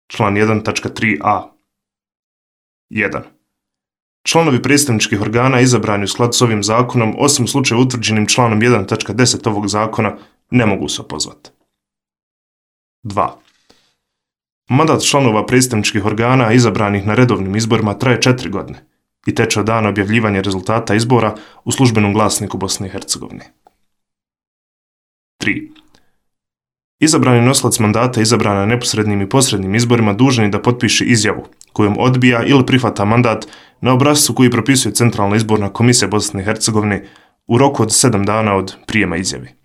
Član 1.3a. 1. Članovi predstavničkih organa izabrani u skladu s ovim zakonom, osim u slučaju utvrđenim članom 1.10 ovog zakona, ne mogu se opozvati. 2. Mandat članova predstavničkih organa izabranih na redovnim izborima traje 4 godine i teče od dana objavljivanja rezultata izbora u službenom glasniku Bosne i Hercegovine. 3. Izabrani nosilac mandata izabran na neposrednim i posrednim izborima dužan je da potpiše izjavu kojom odbija ili prihvata mandat na obrascu koji propisuje Centralna izborna komisija Bosne i Hercegovine u roku od 7 dana od prijema izjave.